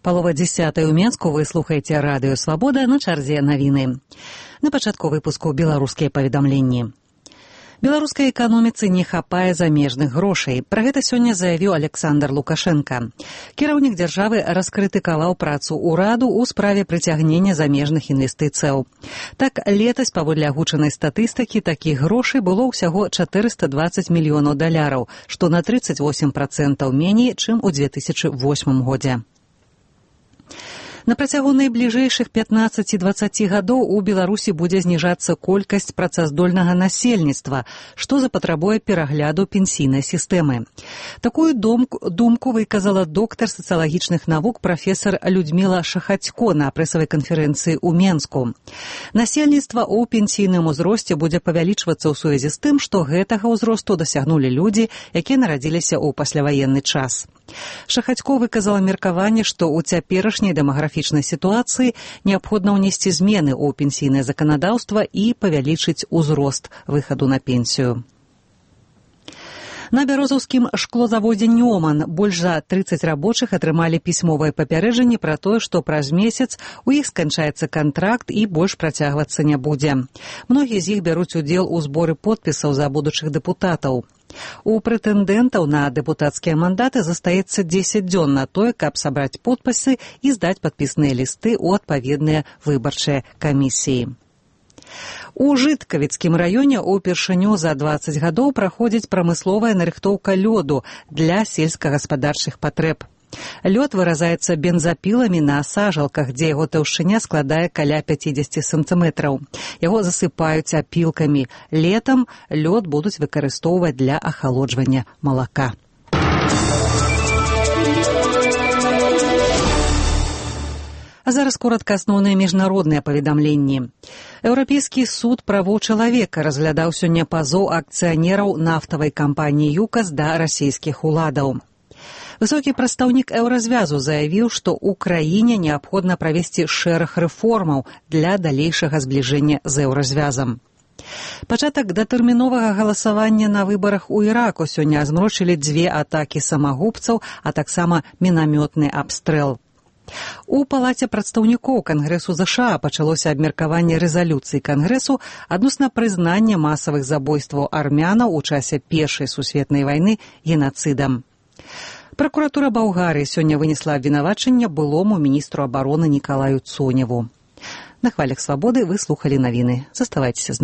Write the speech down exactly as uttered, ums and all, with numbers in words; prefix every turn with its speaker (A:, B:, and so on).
A: Палова дзесятай у Менску, вы слухаеце радыё «Свабода», на чарзе навіны. На пачатку выпуску беларускія паведамленні. Беларускай эканоміцы не хапае замежных грошай. Пра гэта сёння заявіў Александр Лукашенко. Кіраўнік дзяржавы раскрытыкаваў працу ўраду ў справе прыцягнення замежных інвестыцыяў. Так, летась, паводле агучанай статыстыкі, такіх грошай было ўсяго чатырыста дваццаць мільёнаў даляраў, што на трыццаць восем працэнтаў меней, чым у дзве тысячы восьмым годзе. На працягу найбліжэйшых пятнаццаці-дваццаці гадоў у Беларусі будзе зніжацца колькасць працаздольнага насельніцтва, што запатрабуе перагляду пенсійнай сістэмы. Такую думку выказала доктар сацыялагічных навук прафесар Людміла Шахацько на прэсавай канферэнцыі ў Менску. Насельніцтва ў пенсійным узросце будзе павялічвацца ў сувязі з тым, што гэтага ўзросту дасягнулі людзі, якія нарадзіліся ў пасляваенны час. Шахацько выказала меркаванне, што ў цяперашняй дэмаграфічнай сітуацыі неабходна ўнесці змены ў пенсійнае заканадаўства і павялічыць узрост выхаду на пенсію. На бярозаўскім шклозаводзе «Нёман» больш за трыццаць рабочых атрымалі пісьмовае папярэджанне пра тое, што праз месяц у іх сканчаецца кантракт і больш працягвацца не будзе. Многія з іх бяруць удзел у зборы подпісаў за будучых дэпутатаў. У прэтэндэнтаў на дэпутацкія мандаты застаецца дзесяць дзён на тое, каб сабраць подпісы і здаць падпісныя лісты ў адпаведныя выбарчыя камісіі. У Жыткавіцкім раёне ўпершыню за дваццаць гадоў праходзіць прамысловая нарыхтоўка лёду для сельскагаспадарчых патрэб. Лёд выразаецца бензапіламі на сажалках, дзе яго таўшчыня складае каля пяцідзесяці сантыметраў. Яго засыпаюць апілкамі. Летам лёд будуць выкарыстоўваць для ахалоджвання малака. А зараз коратка асноўныя міжнародныя паведамленні. Еўрапейскі суд правоў чалавека разглядаў сёння пазоў акцыянераў нафтавай кампаніі «ЮКАС» да расійскіх уладаў. Высокі прадстаўнік еўразвязу заявіў, што ў краіне неабходна правесці шэраг рэформаў для далейшага збліжэння з еўразвязам. Пачатак датэрміновага галасавання на выбарах у Іраку сёння змрочылі дзве атакі самагубцаў, а таксама мінамётны абстрэл. У палаце прадстаўнікоў Кангрэсу ЗША пачалося абмеркаванне рэзалюцыі Кангрэсу адносна прызнання масавых забойстваў армянаў у часе Першай сусветнай вайны генацыдам. Пракуратура Балгарыі сёння вынесла абвінавачанне былому міністру абароны Нікалаю Цоневу. На хвалях «Свабоды» вы слухалі навіны. Заставайцеся з намі.